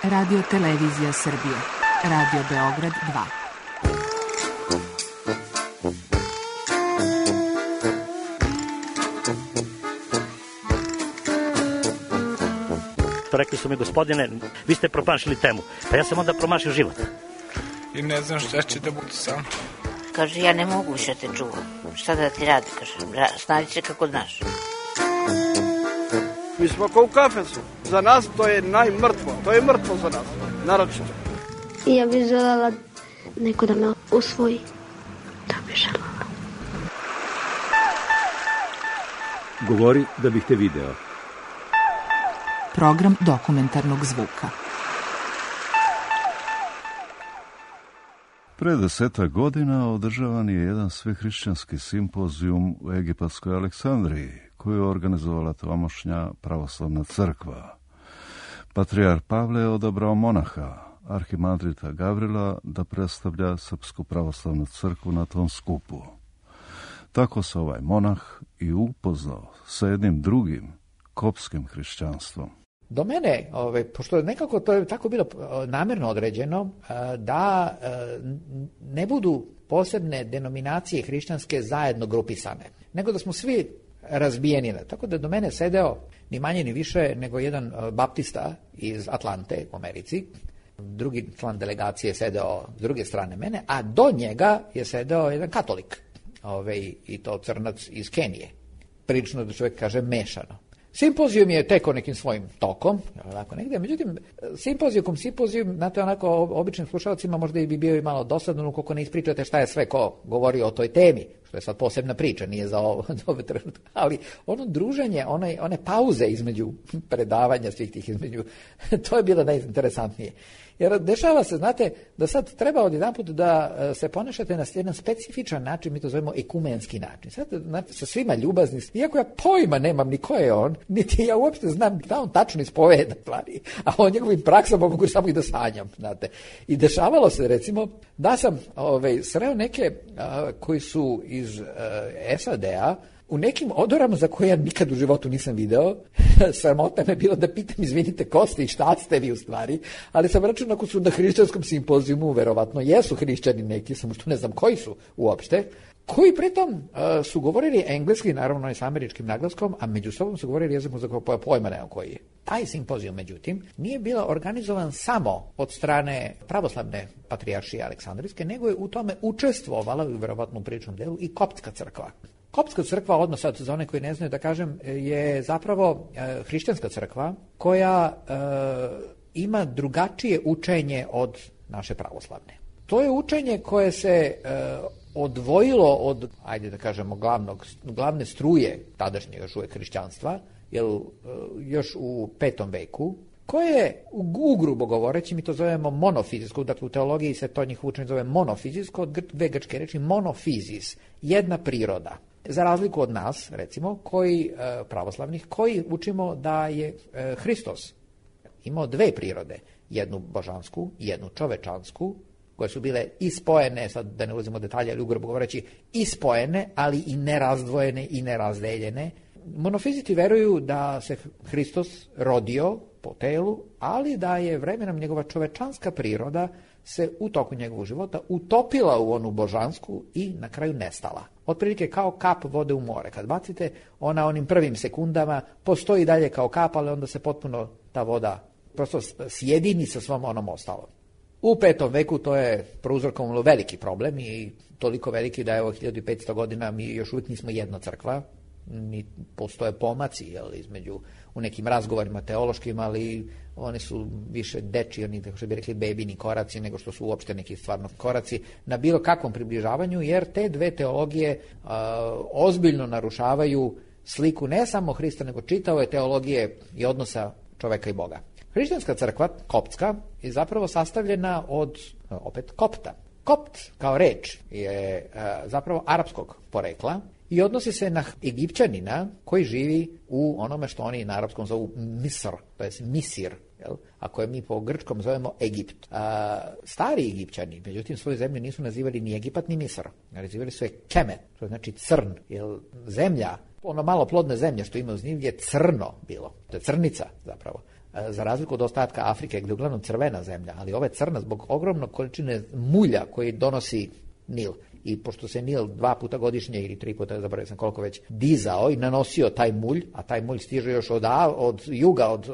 Radio Televizija Srbije. Radio Beograd 2. To rekli su mi, gospodine, vi ste promašili temu. Pa ja sam onda promašio život. I ne znam šta će da bude sam. Kaže, ja ne mogu više te čuvam. Šta da ti radi, kaže, snađi se kako znaš. Mi smo kao u kafesu. Za nas to je najmrtvo. To je mrtvo za nas, naročito. I ja bih želela neko da me usvoji. To bih želela. Govori da bih te video. Program dokumentarnog zvuka. Pre 10 godina održavan je jedan svehrišćanski simpozijum u egipatskoj Aleksandriji, koju je organizovala tamošnja pravoslavna crkva. Patrijar Pavle je odabrao monaha, arhimandrita Gavrila, da predstavlja Srpsku pravoslavnu crkvu na tom skupu. Tako se ovaj monah i upoznao sa jednim drugim, kopskim hrišćanstvom. Do mene, pošto nekako to je tako bilo namjerno određeno, da ne budu posebne denominacije hrišćanske zajedno grupisane, nego da smo svi razbijeni. Tako da do mene sedeo ni manje ni više nego jedan baptista iz Atlante u Americi, drugi član delegacije je sedeo s druge strane mene, a do njega je sedeo jedan katolik, i to crnac iz Kenije. Prilično da čovjek kaže mešano. Simpozijum je tekao nekim svojim tokom, onako negdje, međutim, simpozijum, znate, onako, običnim slušalcima možda i bi bio i malo dosadno, ukoliko ne ispričate šta je sve ko govori o toj temi, što je sad posebna priča, nije za ovo trenutku, ali ono druženje, one pauze između predavanja svih tih između, to je bilo najinteresantnije. Jer dešava se, znate, da sad treba odjedanput da se ponašate na jedan specifičan način, mi to zovemo ekumenski način. Sad, znate, sa svima ljubazni, iako ja pojma nemam ni ko je on, niti ja uopšte znam da on tačno ispoveda stvari, a o njegovim praksama mogu samo i da sanjam, znate. I dešavalo se, recimo, da sam sreo neke koji su iz SAD-a, u nekim odorama za koje ja nikad u životu nisam video, sramota me bilo da pitam, izvinite, ko ste i šta ste vi u stvari, ali sam računao ako su na hrišćanskom simpozijumu, verovatno jesu hrišćani neki, samo što ne znam koji su uopšte, koji pritom su govorili engleski, naravno i s američkim naglaskom, a među sobom su govorili jezikom za koje pojma nema koji je. Taj simpozijum, međutim, nije bila organizovan samo od strane pravoslavne patrijaršije Aleksandrijske, nego je u tome učestvovala, verovatno u priličnom delu, i koptska crkva. Koptska crkva, odmah sad za one koji ne znaju da kažem, je zapravo hrišćanska crkva koja ima drugačije učenje od naše pravoslavne. To je učenje koje se odvojilo od, ajde da kažemo, glavne struje tadašnjeg još uvijek hrišćanstva, jer još u 5. veku, koje ugrubo govoreći mi to zovemo monofizijsko, dakle u teologiji se to njih učenje zove monofizijsko, od dve grčke reči monofizis, jedna priroda. Za razliku od nas, recimo, pravoslavnih, koji učimo da je Hristos imao dve prirode, jednu božansku i jednu čovečansku, koje su bile ispojene, sad da ne ulazimo u detalje, ali ugrubo govoreći, ispojene, ali i nerazdvojene i nerazdeljene. Monofiziti veruju da se Hristos rodio po telu, ali da je vremenom njegova čovečanska priroda se u toku njegovog života utopila u onu božansku i na kraju nestala. Otprilike kao kap vode u more. Kad bacite, ona onim prvim sekundama postoji dalje kao kap, ali onda se potpuno ta voda prosto sjedini sa svom onom ostalom. U 5. veku to je prouzrokovalo veliki problem i toliko veliki da je 1500 godina mi još uvijek nismo jedna crkva, ni postoje pomaci između u nekim razgovorima teološkim, ali oni su više dečji, oni, kako što bi rekli, bebini koraci, nego što su uopšte neki stvarno koraci na bilo kakvom približavanju, jer te dve teologije ozbiljno narušavaju sliku ne samo Hrista, nego čitave teologije i odnosa čoveka i Boga. Hrišćanska crkva, koptska, je zapravo sastavljena od, opet, kopta. Kopt kao reč je zapravo arapskog porekla i odnosi se na Egipćanina koji živi u onome što oni na arapskom zovu Misr, to je Misir, a koje mi po grčkom zovemo Egipt. Stari Egipćani, međutim, svoju zemlju nisu nazivali ni Egipat ni Misr, nazivali su je Kemet, to znači crn, jer zemlja, ono malo plodne zemlje što ima uz njih je crno bilo, to je crnica zapravo. za razliku od ostatka Afrike, gdje je uglavnom crvena zemlja, ali ova je crna zbog ogromnog količine mulja koji donosi Nil. I pošto se Nil 2 puta godišnje ili 3 puta, zaboravio sam koliko već, dizao i nanosio taj mulj, a taj mulj stiže još od juga, od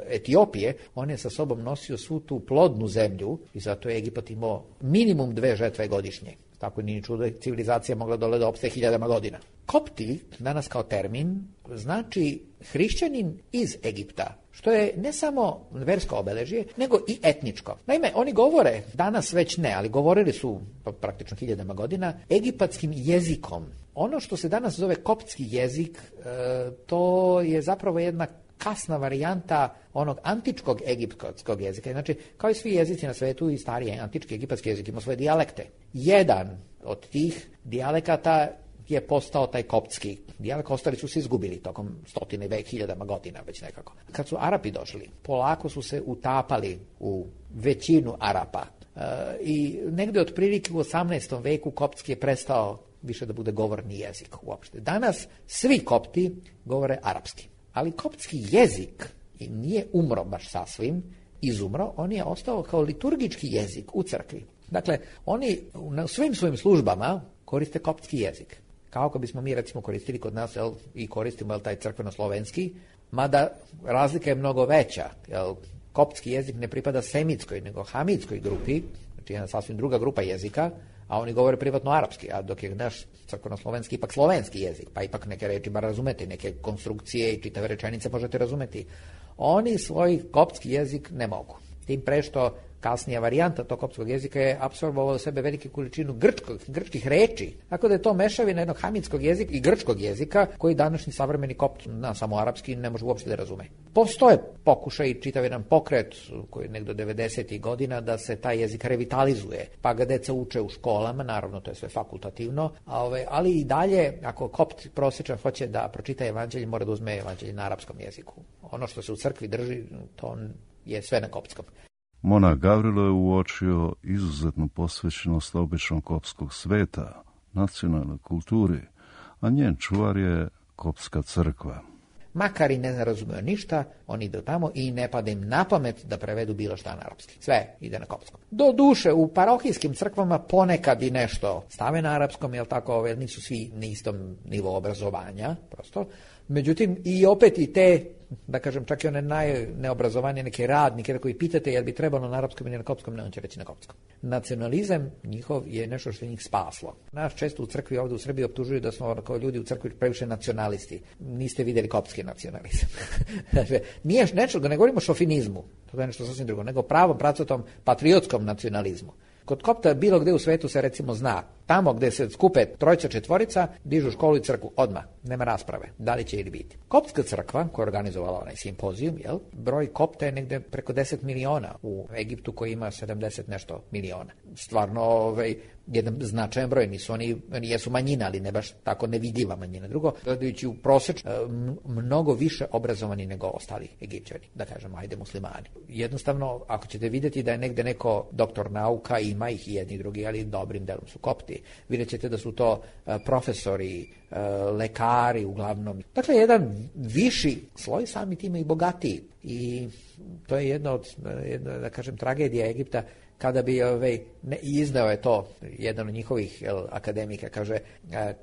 Etiopije, on je sa sobom nosio svu tu plodnu zemlju i zato je Egipat imao minimum 2 žetve godišnje. Tako nije čudo da civilizacija mogla dole da opstaje 1000 godina. Kopti, danas kao termin, znači hrišćanin iz Egipta, što je ne samo versko obeležje, nego i etničko. Naime, oni govore, danas već ne, ali govorili su praktično 1000 godina, egipatskim jezikom. Ono što se danas zove koptski jezik, to je zapravo jedna kasna varijanta onog antičkog egipatskog jezika. Znači, kao i svi jezici na svetu, i stariji antički egipatski jezik ima svoje dijalekte. Jedan od tih dijalekata je postao taj koptski dijalekt, ostali su se izgubili tokom 100.000 godina već nekako. Kad su Arapi došli, polako su se utapali u većinu Arapa. I negdje otprilike u 18. veku koptski je prestao više da bude govorni jezik uopšte. Danas svi kopti govore arapski. Ali koptski jezik nije umro baš sasvim, izumro, on je ostao kao liturgički jezik u crkvi. Dakle, oni na svim svojim službama koriste koptski jezik. Kao ako bismo mi recimo koristili kod nas i koristimo taj crkveno-slovenski, mada razlika je mnogo veća. Koptski jezik ne pripada semitskoj, nego hamitskoj grupi, znači jedna sasvim druga grupa jezika, a oni govore privatno arapski, a dok je naš crkveno-slovenski ipak slovenski jezik, pa ipak neke reči bar razumeti, neke konstrukcije i čitave rečenice možete razumeti. Oni svoj koptski jezik ne mogu. Tim pre što kasnija varijanta tog koptskog jezika je apsorbovao u sebe velike količinu grčkih reči. Tako da je to mešavina jednog hamitskog jezika i grčkog jezika koji današnji savremeni kopt, samo arapski, ne može uopšte da razume. Postoje pokušaj i čitav jedan pokret koji je negdje do 90. godina da se taj jezik revitalizuje, pa ga deca uče u školama, naravno to je sve fakultativno, ali i dalje, ako kopt prosječan hoće da pročita evanđelje, mora da uzme evanđelje na arapskom jeziku. Ono što se u crkvi drži, to je sve na koptskom. Monah Gavrilo je uočio izuzetnu posvećenost običnog koptskog sveta, nacionalnoj kulturi, a njen čuvar je koptska crkva. Makar i ne razumiju ništa, oni idu tamo i ne pada im na pamet da prevedu bilo šta na arapski. Sve ide na koptskom. Do duše, u parohijskim crkvama ponekad i nešto stave na arapskom, jer tako nisu svi na istom nivou obrazovanja, prosto. Međutim, i opet i te, da kažem, čak i one najneobrazovanije neke radnike koji pitate jel bi trebalo na arapskom ili na koptskom, ne, on će reći na koptskom. Nacionalizam njihov je nešto što je njih spaslo. Nas često u crkvi ovdje u Srbiji optužuju da smo kao ljudi u crkvi previše nacionalisti. Niste vidjeli koptski nacionalizam. Nije nečega, ne govorimo o šofinizmu, to je nešto sasvim drugo, nego pravom, pracotom, patriotskom nacionalizmu. Kod kopta bilo gdje u svetu se recimo zna, tamo gdje se skupe 3-4, dižu školu i crkvu odmah, nema rasprave, da li će ili biti. Koptska crkva, koja je organizovala onaj simpozijum, broj kopta je negdje preko 10 miliona u Egiptu koji ima 70 nešto miliona. Stvarno, jedan značajan broj, oni jesu manjina, ali ne baš tako nevidljiva manjina. Drugo, gledajući u prosječ, mnogo više obrazovani nego ostali Egipćani, da kažem, ajde muslimani. Jednostavno, ako ćete vidjeti da je negdje neko doktor nauka, ima ih i jedni i drugi, ali dobrim delom su kopti. Vidjet ćete da su to profesori, lekari uglavnom. Dakle, jedan viši sloj, sami time i bogatiji. I to je jedna od, da kažem, tragedija Egipta. Kada bi, izneo je to jedan od njihovih akademika, kaže,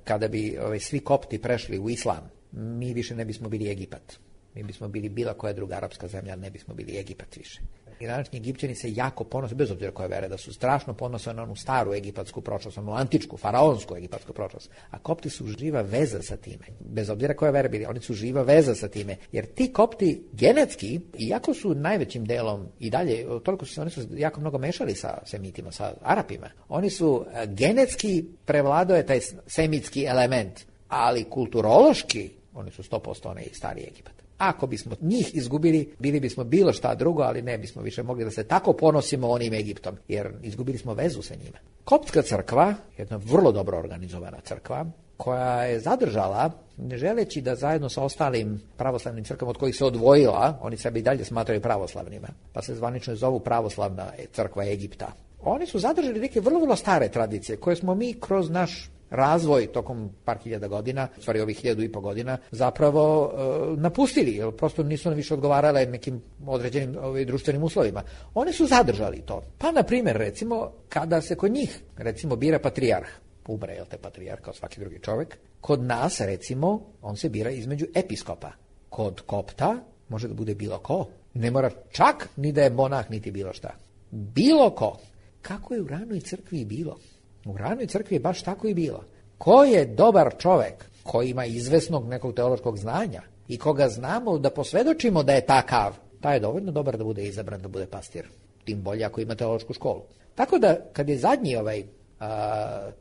kada bi svi kopti prešli u islam, mi više ne bismo bili Egipat. Mi bismo bili bila koja druga arapska zemlja, ali ne bismo bili Egipat više. I današnji Egipćani se jako ponose, bez obzira koje vere, da su strašno ponose na onu staru egipatsku prošlost, onu antičku, faraonsku egipatsku prošlost. A kopti su živa veza sa time. Bez obzira koje vere bili, oni su živa veza sa time. Jer ti kopti genetski, iako su najvećim delom i dalje, toliko oni su jako mnogo mešali sa semitima, sa Arapima. Oni su genetski prevladao je taj semitski element, ali kulturološki oni su 100% onaj stari Egipat. Ako bismo njih izgubili, bili bismo bilo šta drugo, ali ne bismo više mogli da se tako ponosimo onim Egiptom, jer izgubili smo vezu sa njima. Koptska crkva, jedna vrlo dobro organizovana crkva, koja je zadržala, ne želeći da zajedno sa ostalim pravoslavnim crkvama od kojih se odvojila, oni sebe i dalje smatraju pravoslavnima, pa se zvanično zovu pravoslavna crkva Egipta. Oni su zadržali neke vrlo, vrlo stare tradicije, koje smo mi kroz naš razvoj tokom par hiljada godina, stvari ovih 1500 godina, zapravo napustili, jer prosto nisu više odgovarale nekim određenim društvenim uslovima. Oni su zadržali to. Pa, na primjer, recimo, kada se kod njih, recimo, bira patrijarh, umre, jel te, patrijarh kao svaki drugi čovjek, kod nas, recimo, on se bira između episkopa. Kod kopta može da bude bilo ko. Ne mora čak ni da je monah, niti bilo šta. Bilo ko. Kako je u ranoj crkvi bilo? U ranoj crkvi je baš tako i bilo. Ko je dobar čovek, koji ima izvesnog nekog teološkog znanja i koga znamo da posvedočimo da je takav, taj je dovoljno dobar da bude izabran, da bude pastir. Tim bolje ako ima teološku školu. Tako da, kad je zadnji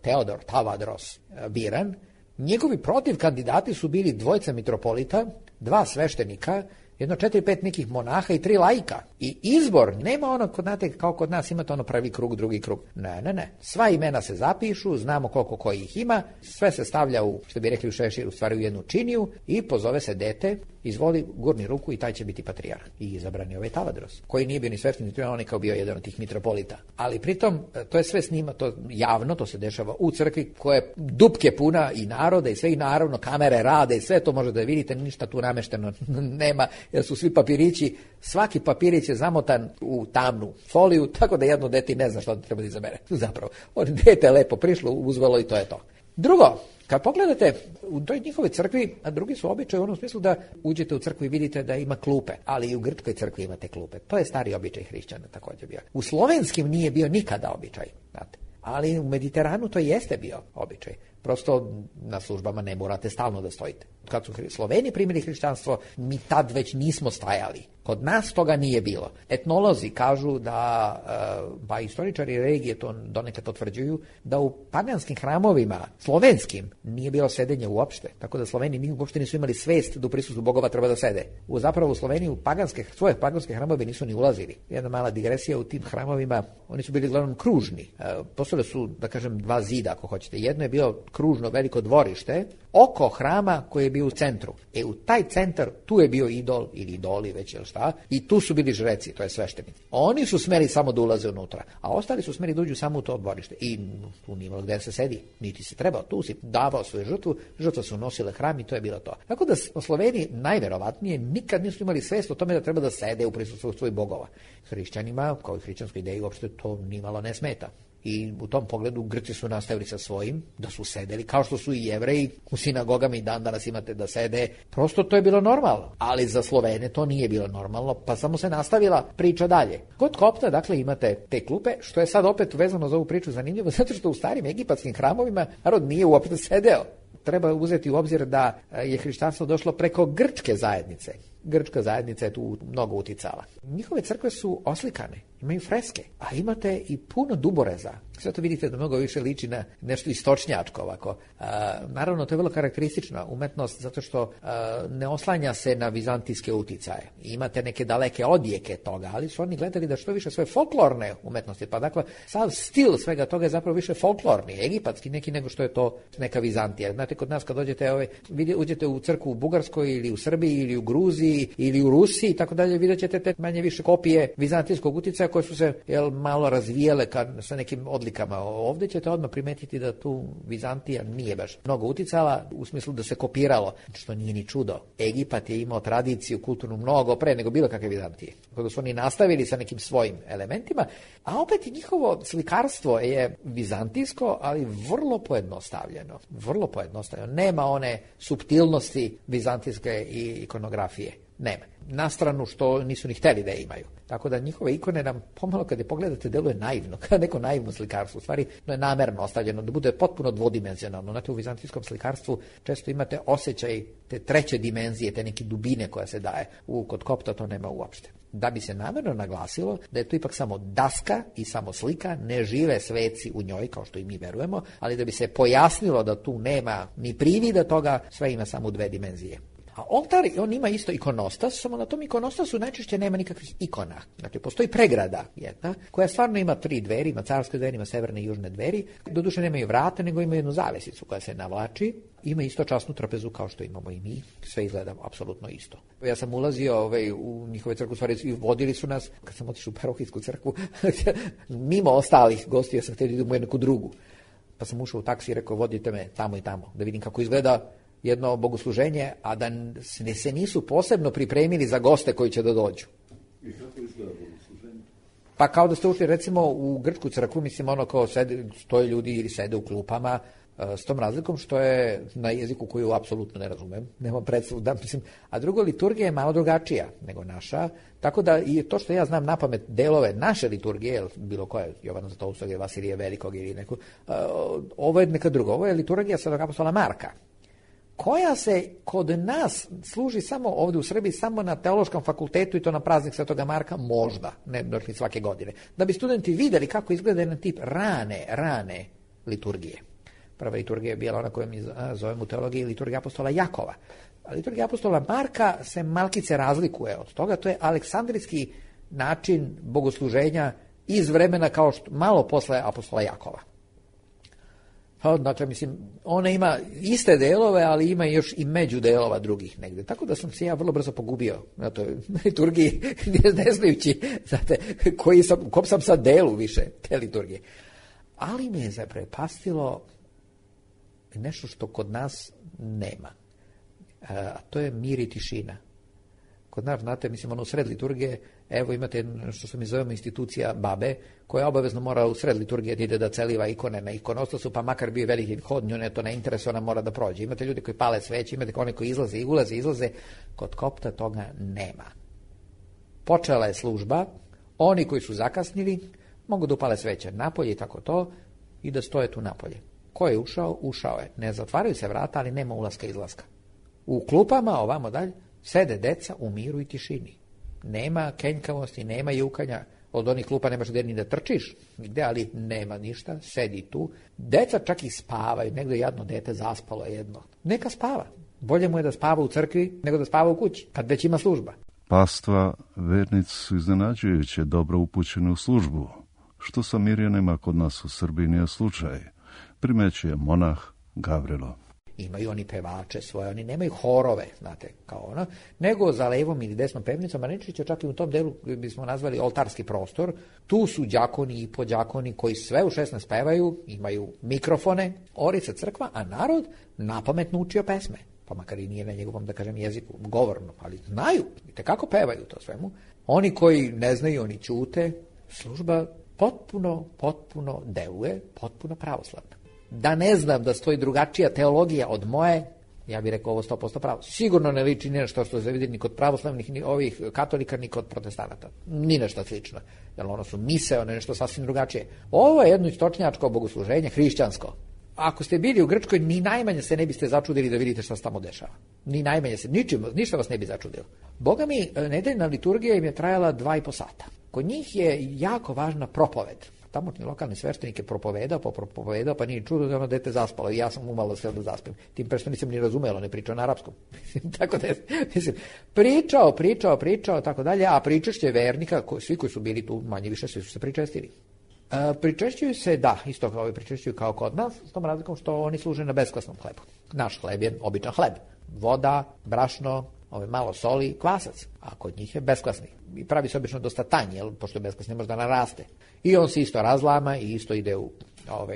Teodor Tavadros biran, njegovi protiv kandidati su bili 2 mitropolita, 2 sveštenika, 4-5 nekih monaha i 3 laika. I izbor, nema ono, znate, kao kod nas imate ono prvi krug, drugi krug. Ne. Sva imena se zapišu, znamo koliko koji ih ima, sve se stavlja u, što bi rekli u šešir, u stvari u jednu činiju i pozove se dete, izvoli, gurni ruku i taj će biti patrijarh. I izabran je Tavadros, koji nije bio ni sveštenik, on je kao bio jedan od tih mitropolita. Ali pritom, to je sve snima, to javno, to se dešava u crkvi koja je dupke puna i naroda i sve, i naravno kamere rade i sve to možete da vidite, ništa tu namešteno nema, jer su svi papirići, svaki papirić je zamotan u tamnu foliju, tako da jedno dete ne zna što treba da izabere. Zapravo, dete je lepo prišlo, uzvelo i to je to. Drugo, kad pogledate u toj njihove crkvi, a drugi su običaj u onom smislu da uđete u crkvu i vidite da ima klupe, ali i u grčkoj crkvi imate klupe. To je stari običaj hrišćana također bio. U slovenskim nije bio nikada običaj, znate. Ali u Mediteranu to jeste bio običaj. Prosto na službama ne morate stalno da stojite. Kad su Sloveni primili hrišćanstvo, mi tad već nismo stajali. Kod nas toga nije bilo. Etnolozi kažu da, pa istoričari religije to donekad potvrđuju, da u paganskim hramovima, slovenskim, nije bilo sedenja uopšte. Tako da Sloveni uopšte nisu imali svest da u prisustvu bogova treba da sede. Zapravo u Sloveniji u svoje paganske hramove nisu ni ulazili. Jedna mala digresija, u tim hramovima, oni su bili uglavnom kružni. Postojale su, da kažem, 2 zida, ako hoćete. Jedno je bilo kružno veliko dvorište oko hrama koji je bio u centru. U taj centar, tu je bio idol ili idoli, već ili šta, i tu su bili žreci, to je sveštenici. Oni su smeli samo da ulaze unutra, a ostali su smeli da uđu samo u to dvorište. I tu nije imalo gde se sedi, niti se trebao, tu si davao svoju žrtvu, žrtva su nosile hram i to je bilo to. Tako da Sloveni najverovatnije nikad nisu imali svest o tome da treba da sede u prisustvu svojih bogova. Hrišćanima, kao i hrišćanskoj ideji, uopšte to nimalo ne smeta. I u tom pogledu Grci su nastavili sa svojim, da su sedeli, kao što su i Jevreji u sinagogama i dan danas imate da sede. Prosto to je bilo normalno, ali za Slovene to nije bilo normalno, pa samo se nastavila priča dalje. Kod kopta, dakle, imate te klupe, što je sad opet vezano za ovu priču zanimljivo, zato što u starim egipatskim hramovima narod nije uopšte sedeo. Treba uzeti u obzir da je hrišćanstvo došlo preko grčke zajednice. Grčka zajednica je tu mnogo uticala. Njihove crkve su oslikane, imaju freske, a imate i puno duboreza. Sve to vidite da mnogo više liči na nešto istočnjačko ovako. Naravno, to je vrlo karakteristična umetnost zato što ne oslanja se na vizantijske uticaje. Imate neke daleke odjeke toga, ali su oni gledali da što više svoje folklorne umetnosti. Pa dakle, sav stil svega toga je zapravo više folklorni, egipatski neki nego što je to neka Vizantija. Znate, kod nas kad uđete u crkvu u Bugarskoj ili u Srbiji ili u Gruziji ili u Rusiji i tako dalje, vidjet ćete te manje više kopije vizantijskog uticaja koje su se malo razvijele sa nekim odlikama. Ovdje ćete odmah primetiti da tu Vizantija nije baš mnogo uticala u smislu da se kopiralo, što nije ni čudo. Egipat je imao tradiciju kulturnu mnogo pre nego bilo kakve Vizantije. Kada su oni nastavili sa nekim svojim elementima, a opet i njihovo slikarstvo je vizantijsko, ali vrlo pojednostavljeno. Vrlo pojednostavljeno. Nema one suptilnosti vizantijske i ikonografije. Nema. Na stranu što nisu ni hteli da je imaju. Tako da njihove ikone nam pomalo kad je pogledate deluje naivno, kao neko naivno slikarstvo. U stvari, to je namerno ostavljeno da bude potpuno dvodimenzionalno. Znate, u vizantijskom slikarstvu često imate osjećaj te treće dimenzije, te neke dubine koja se daje. Kod kopta to nema uopšte. Da bi se namerno naglasilo da je to ipak samo daska i samo slika, ne žive sveci u njoj, kao što i mi verujemo, ali da bi se pojasnilo da tu nema ni privida toga, sve ima samo 2 dimenzije. A oltar, on ima isto ikonostas, samo na tom ikonostasu najčešće nema nikakvih ikona. Znači, postoji pregrada jedna, koja stvarno ima 3 dveri, ima carske dveri, ima severne i južne dveri. Doduše nemaju vrata, nego imaju jednu zavesicu koja se navlači. Ima isto časnu trapezu kao što imamo i mi. Sve izgleda apsolutno isto. Ja sam ulazio u njihove crkvu, stvari i vodili su nas, kad sam otišao u parohijsku crkvu, mimo ostalih gostija sam htio da idem u neku drugu. Pa sam ušao u taksi i rekao, vodite me tamo i tamo, da vidim kako izgleda jedno bogosluženje, a da se nisu posebno pripremili za goste koji će da dođu. I kako izgleda bogosluženje? Pa kao da ste ušli recimo u grčku crkvu, mislim ono kao stoje ljudi ili sede u klupama, s tom razlikom što je na jeziku koju apsolutno ne razumem, nemam predstavu, a drugo, liturgija je malo drugačija nego naša, tako da i to što ja znam napamet delove naše liturgije, bilo koje, Jovana Zlatoustog ili Vasilija Velikog ili neko, ovo je neka druga, ovo je liturgija Svetog apostola Marka, koja se kod nas služi samo ovdje u Srbiji, samo na teološkom fakultetu i to na praznik Svetoga Marka, možda, ne svake godine, da bi studenti vidjeli kako izgleda jedan tip rane liturgije. Prva liturgija je bila ona koju mi zovemo u teologiji liturgija apostola Jakova. A liturgija apostola Marka se malkice razlikuje od toga, to je aleksandrijski način bogosluženja iz vremena kao što malo posle apostola Jakova. Dakle, ona ima iste delove, ali ima još i među delova drugih negde. Tako da sam se ja vrlo brzo pogubio na toj liturgiji, ne znajući, znate, kom sam sad delu više te liturgije. Ali me je zaprepastilo nešto što kod nas nema. A to je mir i tišina. Kod nas, znate, u sred liturgije, evo imate što se mi zovemo institucija babe, koja obavezno mora u sred liturgije da ide da celiva ikone na ikonostasu, pa makar bio veliki hod, nju ne to ne interesuje, ona mora da prođe. Imate ljudi koji pale sveće, imate oni koji izlaze i izlaze. Kod kopta toga nema. Počela je služba, oni koji su zakasnili mogu da upale sveće napolje i tako to i da stoje tu napolje. Ko je ušao? Ušao je. Ne zatvaraju se vrata, ali nema ulaska i izlaska. U klupama, ovamo dalje, sede deca u miru i tišini. Nema kenjkavosti, nema jukanja. Od onih klupa nemaš gdje ni da trčiš, nigde, ali nema ništa, sedi tu. Deca čak i spavaju, negdje jedno dete zaspalo jedno. Neka spava. Bolje mu je da spava u crkvi nego da spava u kući, kad već ima služba. Pastva, vernici su iznenađujuće dobro upućeni u službu, što sa Mirjanima kod nas u Srbiji nije slučaj. Primećuje monah Gavrilo. Imaju oni pevače svoje, oni nemaju horove, znate, kao ono, nego za levom ili desnom pevnicom, a neće čak i u tom delu bismo nazvali oltarski prostor, tu su đakoni i podđakoni koji sve u 16 pevaju, imaju mikrofone, ori se crkva, a narod napametno učio pesme, pa makar i nije na njegovom, da kažem, jeziku, govorno, ali znaju, vidite kako pevaju to svemu. Oni koji ne znaju, oni ćute, služba potpuno deluje, potpuno pravoslavna. Da ne znam da stoji drugačija teologija od moje, ja bih rekao ovo 100% pravo. Sigurno ne liči ni nešto što se vidi ni kod pravoslavnih, ni ovih katolika, ni kod protestanata. Ni nešto slično. Jer ono su mise, nešto sasvim drugačije. Ovo je jedno istočnjačko bogosluženje, hrišćansko. Ako ste bili u Grčkoj, ni najmanje se ne biste začudili da vidite šta se tamo dešava. Ni najmanje se, ništa vas ne bi začudilo. Boga mi, nedeljna liturgija im je trajala 2,5 sata. Kod njih je jako važna propoved. Tamošnji lokalni sveštenik je propovedao, pa nije čudo da ono dete zaspalo i ja sam umalo sve da zaspim. Tim pre što nisam ni razumelo, ne pričao na arapskom. Tako da, pričao, tako dalje, a pričešće vernika, svi koji su bili tu, manje više, svi su se pričestili. Pričešćuju se, da, isto kao pričešćuju kao kod nas, s tom razlikom što oni služe na beskvasnom hlebu. Naš hleb je običan hleb. Voda, brašno, malo soli, kvasac, a kod njih je beskvasni. I pravi se obično dosta tanji, pošto je beskvasni možda naraste. I on se isto razlama i isto ide u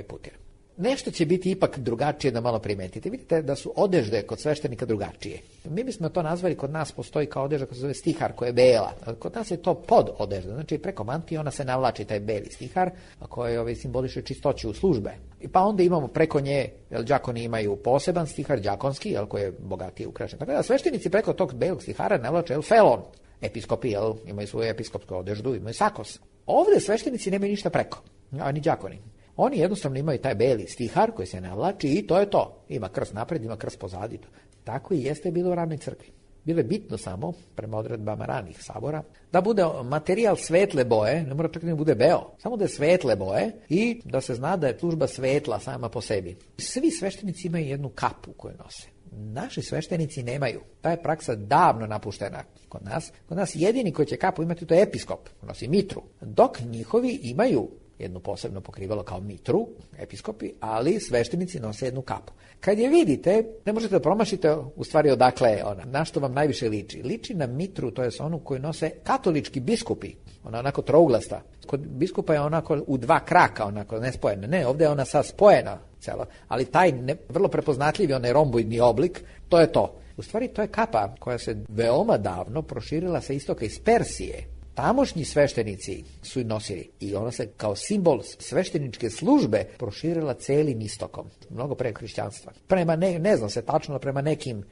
putir. Nešto će biti ipak drugačije da malo primetite. Vidite da su odežde kod sveštenika drugačije. Mi bismo to nazvali, kod nas postoji kao odežda koja se zove stihar, koja je bela. Kod nas je to pod odežda, znači preko mantije ona se navlači taj beli stihar, a koji simboliše čistoću službe. I pa onda imamo preko nje, đakoni imaju poseban stihar, đakonski, koji je bogatije ukrašen. Tako da sveštenici preko tog belog stihara navlače felon. Episkopi imaju svoju episkopsku odeždu, imaju sakos. Ovdje sveštenici nemaju ništa preko, ani đakoni. Oni jednostavno imaju taj beli stihar koji se navlači i to je to. Ima krst napred, ima krst pozadi. Tako i jeste bilo u ranoj crkvi. Bilo je bitno samo, prema odredbama ranih sabora, da bude materijal svetle boje, ne mora čak da bude beo, samo da je svetle boje i da se zna da je služba svetla sama po sebi. Svi sveštenici imaju jednu kapu koju nose. Naši sveštenici nemaju. Ta je praksa davno napuštena kod nas. Kod nas jedini koji će kapu imati to je episkop, nosi mitru. Dok njihovi imaju jednu posebno pokrivalo kao mitru, episkopi, ali sveštenici nose jednu kapu. Kad je vidite, ne možete da promašite u stvari odakle je ona. Na što vam najviše liči? Liči na mitru, to je onu koju nose katolički biskupi. Ona je onako trouglasta. Kod biskupa je onako u dva kraka, onako nespojena. Ne, ovdje je ona sad spojena celo. Ali taj vrlo prepoznatljivi, onaj romboidni oblik, to je to. U stvari to je kapa koja se veoma davno proširila sa istoka iz Persije. Tamošnji sveštenici su i nosili i ona se kao simbol svešteničke službe proširila celim istokom, mnogo pre hrišćanstva. Prema ne znam se tačno, prema nekim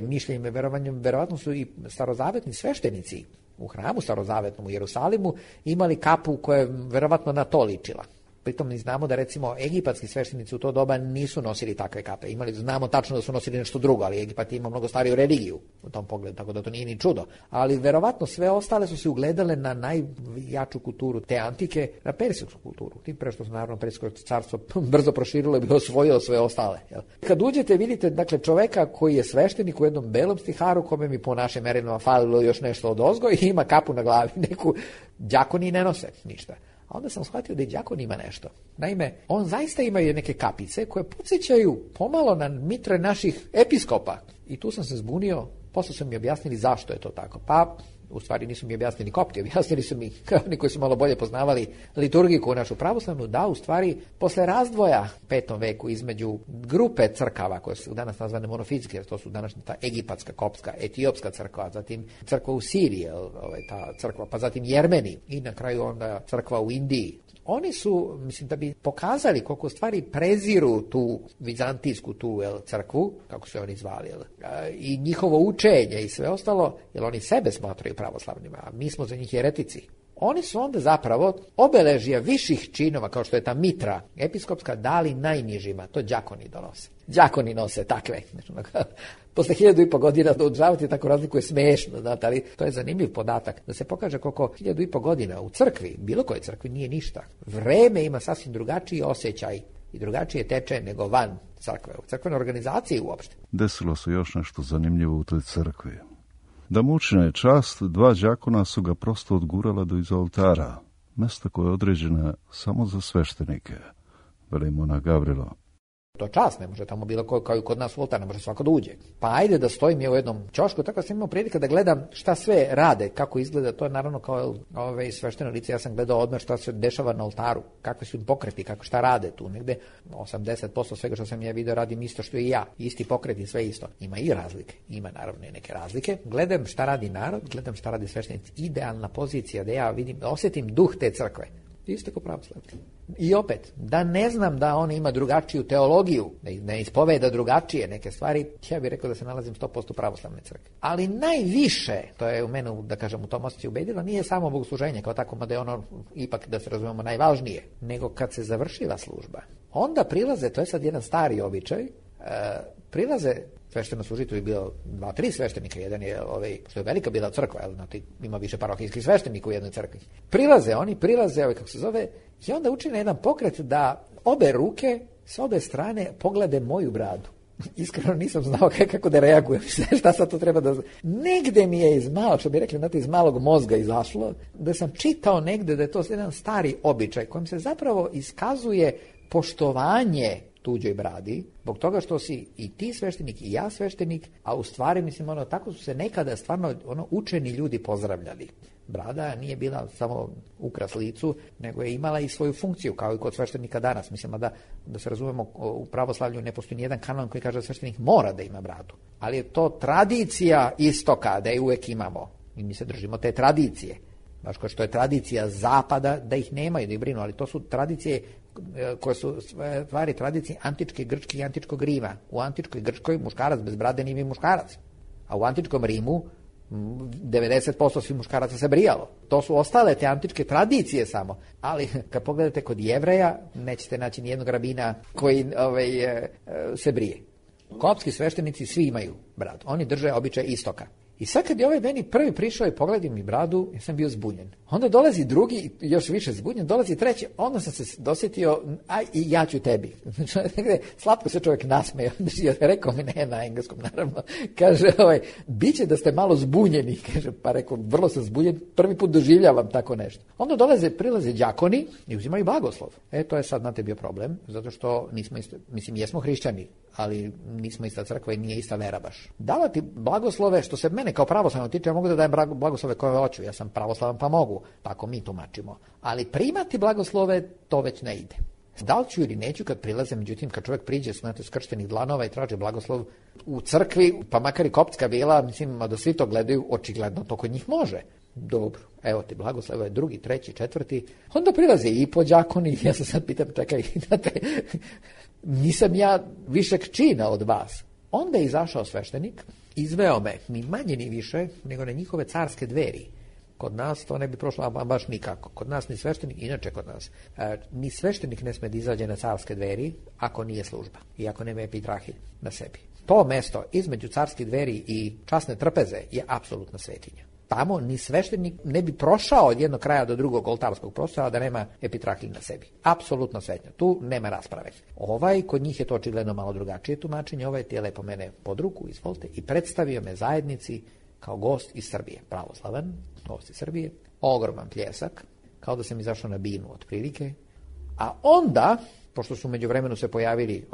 mišljenjima i verovanjem, verovatno su i starozavetni sveštenici u hramu starozavetnom u Jerusalimu imali kapu koja je verovatno na to ličila. Pritom mi znamo da recimo egipatski sveštenici u to doba nisu nosili takve kape. Znamo tačno da su nosili nešto drugo, ali Egipat ima mnogo stariju religiju u tom pogledu, tako da to nije ni čudo. Ali verovatno sve ostale su se ugledale na najjaču kulturu te antike, na persijsku kulturu. Tim pre što se naravno Persijsko carstvo brzo proširilo i bi osvojilo sve ostale. Jel? Kad uđete vidite dakle čoveka koji je sveštenik u jednom belom stiharu, kome mi po našem merilima falilo još nešto od ozgo i ima kapu na glavi, neku đakoni ne nose ništa. A onda sam shvatio da i đakon ima nešto. Naime, on zaista imaju neke kapice koje podsjećaju pomalo na mitre naših episkopa. I tu sam se zbunio, posle su mi objasnili zašto je to tako. Pa, u stvari nisu mi objasnili kopti, objasnili su mi oni koji su malo bolje poznavali liturgiku našu pravoslavnu, da u stvari posle razdvoja u 5. veku između grupe crkava koje su danas nazvane monofizike, jer to su današnja ta egipatska, kopska, etiopska crkva, zatim crkva u Siriji, ta crkva, pa zatim Jermeni i na kraju onda crkva u Indiji. Oni su, mislim, da bi pokazali koliko stvari preziru tu vizantijsku crkvu, kako su oni zvali, i njihovo učenje i sve ostalo, jer oni sebe smatraju pravoslavnima, a mi smo za njih jeretici. Oni su onda zapravo obeležija viših činova, kao što je ta mitra episkopska, dali najnižima, to đakoni donose. Đakoni nose takve. Posle 1500 godina da održavati tako razliku je smešno, znate, ali to je zanimljiv podatak, da se pokaže koliko 1500 godina u crkvi, bilo koje crkvi, nije ništa. Vreme ima sasvim drugačiji osjećaj i drugačije teče nego van crkve, u crkvenoj organizaciji uopšte. Desilo se još nešto zanimljivo u toj crkvi. Da mu učine čast, 2 đakona su ga prosto odgurala do iza oltara, mesta koje je određena samo za sveštenike, veli monah Gavrilo. To čast, ne može tamo bilo kao i kod nas u oltar, ne može svako da uđe. Pa ajde da stojim je u jednom ćošku, tako da sam imao prilike da gledam šta sve rade, kako izgleda, to je naravno kao svešteno lice, ja sam gledao odmah šta se dešava na oltaru, kakvi su im pokreti, šta rade tu, negde 80% svega što sam ja video radim isto što i ja, isti pokreti, sve isto. Ima i razlike, ima naravno i neke razlike. Gledam šta radi narod, gledam šta radi sveštenici, idealna pozicija da ja vidim, da osjetim duh te crkve. Isto kao pravoslavni. I opet, da ne znam da on ima drugačiju teologiju, ne ispoveda drugačije neke stvari, ja bih rekao da se nalazim 100% u pravoslavne crkve. Ali najviše, to je u mene, da kažem, u tom osjećaju ubedilo, nije samo bogosluženje kao tako, mada je ono ipak, da se razumemo, najvažnije, nego kad se završila služba. Onda prilaze, to je sad jedan stari običaj, prilaze svešteno služitelj je bilo 2-3 sveštenika, jedan je što je velika bila crkva, znači ima više parohijskih sveštenika u jednoj crkvi. Prilaze, kako se zove, i onda učine jedan pokret da obe ruke s obe strane poglede moju bradu. Iskreno nisam znao kako da reagujem, šta sad to treba da... Negde mi je što bi rekli, iz malog mozga izašlo, da sam čitao negde da je to jedan stari običaj kojim se zapravo iskazuje poštovanje tuđoj bradi, zbog toga što si i ti sveštenik i ja sveštenik, a u stvari, mislim, tako su se nekada stvarno učeni ljudi pozdravljali. Brada nije bila samo ukras licu, nego je imala i svoju funkciju, kao i kod sveštenika danas. Mislim, da se razumemo, u pravoslavlju ne postoji nijedan kanon koji kaže da sveštenik mora da ima bradu. Ali je to tradicija istoka, da je uvek imamo. I mi se držimo te tradicije. Baš kao što je tradicija zapada, da ih nemaju, da ih brinu, ali to su tradicije koje su stvari tradicije antičke Grčke i antičkog Rima. U antičkoj Grčkoj muškarac bez brade nije muškarac. A u antičkom Rimu 90% svih muškaraca se brijalo. To su ostale te antičke tradicije samo. Ali kad pogledate kod Jevreja, nećete naći nijednog rabina koji se brije. Koptski sveštenici svi imaju bradu. Oni drže običaj istoka. I sad kad je ovaj meni prvi prišao i pogledio mi bradu, ja sam bio zbunjen. Onda dolazi drugi, još više zbunjen, dolazi treći, onda sam se dosjetio, aj i ja ću tebi. Slatko se čovjek nasmeo, rekao mi ne na engleskom naravno, kaže, bit će da ste malo zbunjeni, kaže, pa rekao, vrlo sam zbunjen, prvi put doživljavam tako nešto. Onda prilaze đakoni i uzimaju blagoslov. To je sad, znate, bio problem, zato što nismo isto, mislim, jesmo hrišćani, ali nismo ista crkva i nije ista vera baš. Davati blagoslove, što se mene kao pravoslavno tiče, ja mogu da dajem blagoslove koje hoću, ja sam pravoslavan pa mogu, tako mi tumačimo. Ali primati blagoslove, to već ne ide. Da li ću ili neću kad prilaze, međutim, kad čovjek priđe, znate, skrštenih dlanova i traži blagoslov u crkvi, pa makar i koptska bila, mislim, da svi to gledaju, očigledno to kod njih može. Dobro, evo ti blagoslov, evo je drugi, treći, četvrti, onda prilaze i po đakoni, ja se sad pitam, čekaj, znate, nisam ja višeg čina od vas. Onda je izašao sveštenik, izveo me, ni manje ni više, nego na njihove carske dveri. Kod nas to ne bi prošlo baš nikako. Kod nas ni sveštenik, inače kod nas, ni sveštenik ne sme da izađe na carske dveri ako nije služba i ako nema epitrahilj na sebi. To mesto između carskih dveri i časne trpeze je apsolutna svetinja. Tamo ni sveštenik ne bi prošao od jednog kraja do drugog oltarskog prostora da nema epitrahilj na sebi. Apsolutno svetinja. Tu nema rasprave. Kod njih je to očigledno malo drugačije tumačenje. Ti je lepo mene pod ruku, izvolite, i predstavio me zajednici kao gost iz Srbije. Pravoslavan, gost iz Srbije, ogroman pljesak, kao da sam izašao na binu otprilike. A onda, pošto su među vremenu se pojavili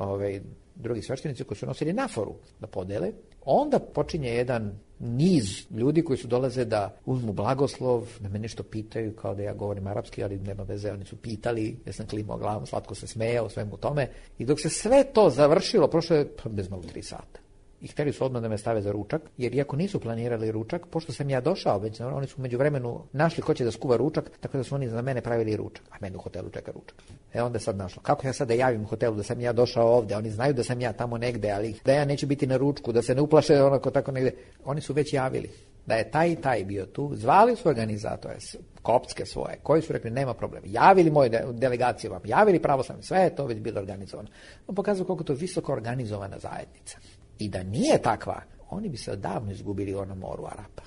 drugi sveštenici koji su nosili naforu da podele, onda počinje jedan niz ljudi koji su dolaze da uzmu blagoslov, da me nešto pitaju, kao da ja govorim arapski, ali nema veze, oni su pitali, ja sam klimao glavom, slatko se smejao, svemu tome. I dok se sve to završilo, prošlo je bez malo 3 sata. I htjeli su odmah da me stave za ručak, jer iako nisu planirali ručak, pošto sam ja došao, već oni su među vremenu našli ko će da skuva ručak, tako da su oni za mene pravili ručak, a mene u hotelu čeka ručak. Onda je sad našlo. Kako ja sad da javim u hotelu da sam ja došao ovdje? Oni znaju da sam ja tamo negde, ali da ja neću biti na ručku, da se ne uplaše onako tako negde. Oni su već javili da je taj i taj bio tu, zvali su organizatore, koptske svoje, koji su rekli nema problema, javili moje delegacije vam, javili pravoslavni, sve je to već bilo organizovano. On pokazuje koliko to visoko organizovana zajednica. I da nije takva, oni bi se odavno izgubili u onom moru Arapa.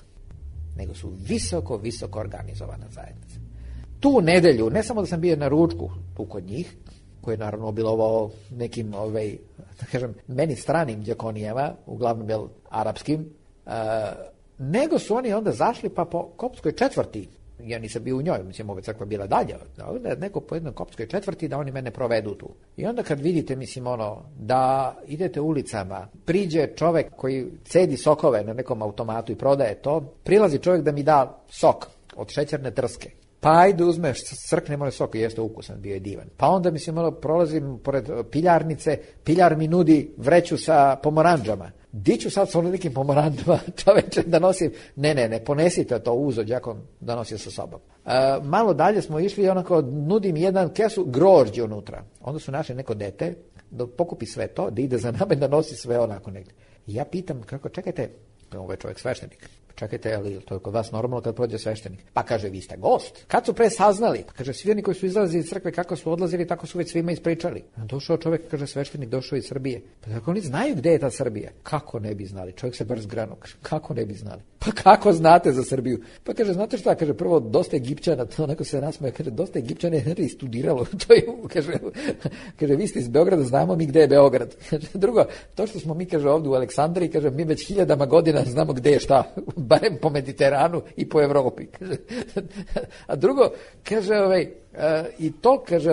Nego su visoko, visoko organizovana zajednica. Tu nedelju, ne samo da sam bio na ručku tu kod njih, koji je naravno obilovao nekim, da kažem, meni stranim đakonijama, uglavnom arapskim, nego su oni onda zašli pa po koptskoj četvrti. Ja nisam bio u njoj, mislim, ova crkva bila dalje, neko po jednoj koptskoj četvrti da oni mene provedu tu. I onda kad vidite, mislim, da idete ulicama, priđe čovek koji cedi sokove na nekom automatu i prodaje to, prilazi čovjek da mi da sok od šećerne trske. Pa ajde uzmeš, crknemo sok i jeste ukusan, bio je divan. Pa onda, mislim, prolazim pored piljarnice, piljar mi nudi vreću sa pomoranđama. Di ću sad sa nekim pomoranđama, čoveče, da nosim? Ne, ponesite to uzo, đakon, da nosim sa sobom. Malo dalje smo išli i onako nudim jedan kesu grožđe unutra. Onda su našli neko dete da pokupi sve to, da ide za nama i da nosi sve onako negdje. I ja pitam, kako, čekajte, ovo je čovjek sveštenik. Čekajte, ali to je kod vas normalno kad prođe sveštenik? Pa kaže, vi ste gost. Kad su pre saznali? Pa kaže, svi oni koji su izlazili iz crkve, kako su odlazili, tako su već svima ispričali. Došao čovjek, kaže, sveštenik došao iz Srbije. Pa tako oni znaju gdje je ta Srbija. Kako ne bi znali? Čovjek se brz granu. Kako ne bi znali? Pa kako znate za Srbiju? Pa kaže, znate šta? Kaže, prvo, dosta Egipćana, to neko se nasmeje, kaže, dosta Egipćana je studiralo. To je, kaže, vi ste iz Beograda, znamo mi gdje je Beograd. Kaže, drugo, to što smo mi, kaže, ovdje u Aleksandriji, kaže, mi već 1000 godina znamo gdje je šta, barem po Mediteranu i po Evropi. Kaže. A drugo, kaže, i to, kaže,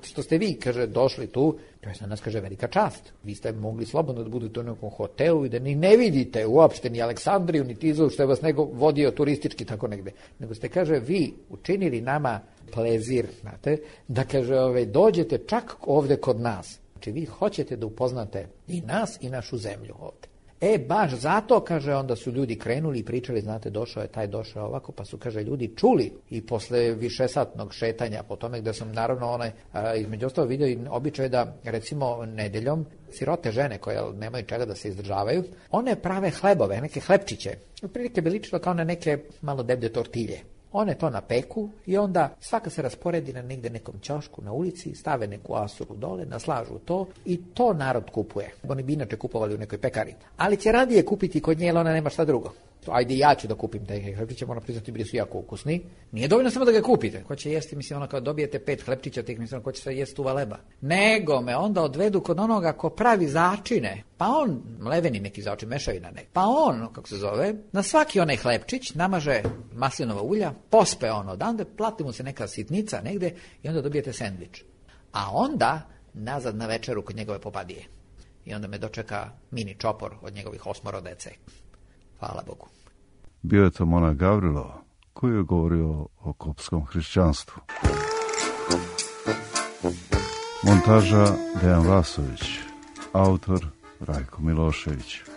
što ste vi, kaže, došli tu, to je za nas, kaže, velika čast. Vi ste mogli slobodno da budete u nekom hotelu i da ni ne vidite uopšte ni Aleksandriju, ni Tizu, što je vas nego vodio turistički tako negde. Nego ste, kaže, vi učinili nama plezir, znate, da, kaže, dođete čak ovde kod nas. Znači, vi hoćete da upoznate i nas i našu zemlju ovde. Baš zato, kaže, onda su ljudi krenuli i pričali, znate, došao je taj, došao ovako, pa su, kaže, ljudi čuli i posle višesatnog šetanja po tome gde sam naravno između ostalo vidio i običaj da, recimo, nedeljom sirote žene koje nemaju čega da se izdržavaju, one prave hlebove, neke hlebčiće. Otprilike bi ličilo kao na neke malo deblje tortilje. One to napeku i onda svaka se rasporedi na negde nekom ćošku na ulici, stave neku asuru dole, naslažu to i to narod kupuje. Oni bi inače kupovali u nekoj pekari. Ali će radije kupiti kod nje, jer ona nema šta drugo. Ajde, ja ću da kupim taj hlebčiće, moram priznati, bili su jako ukusni. Nije dovoljno samo da ga kupite. Ko će jesti, mislim, ono kao dobijete 5 hlebčića, tih mislim, ko će sve jesti uva leba. Nego me onda odvedu kod onoga ko pravi začine. Pa on, mleveni neki začin, mešavina nek. Pa on, kako se zove, na svaki onaj hlebčić namaže maslinova ulja, pospe ono odande, plati mu se neka sitnica negde i onda dobijete sendvič. A onda nazad na večeru kod njegove popadije. I onda me dočeka mini čopor od njegovih 8 dece. Hvala Bogu. Bio je to monah Gavrilo, koji je govorio o kopskom hrišćanstvu. Montaža Dejan Vasović, autor Rajko Milošević.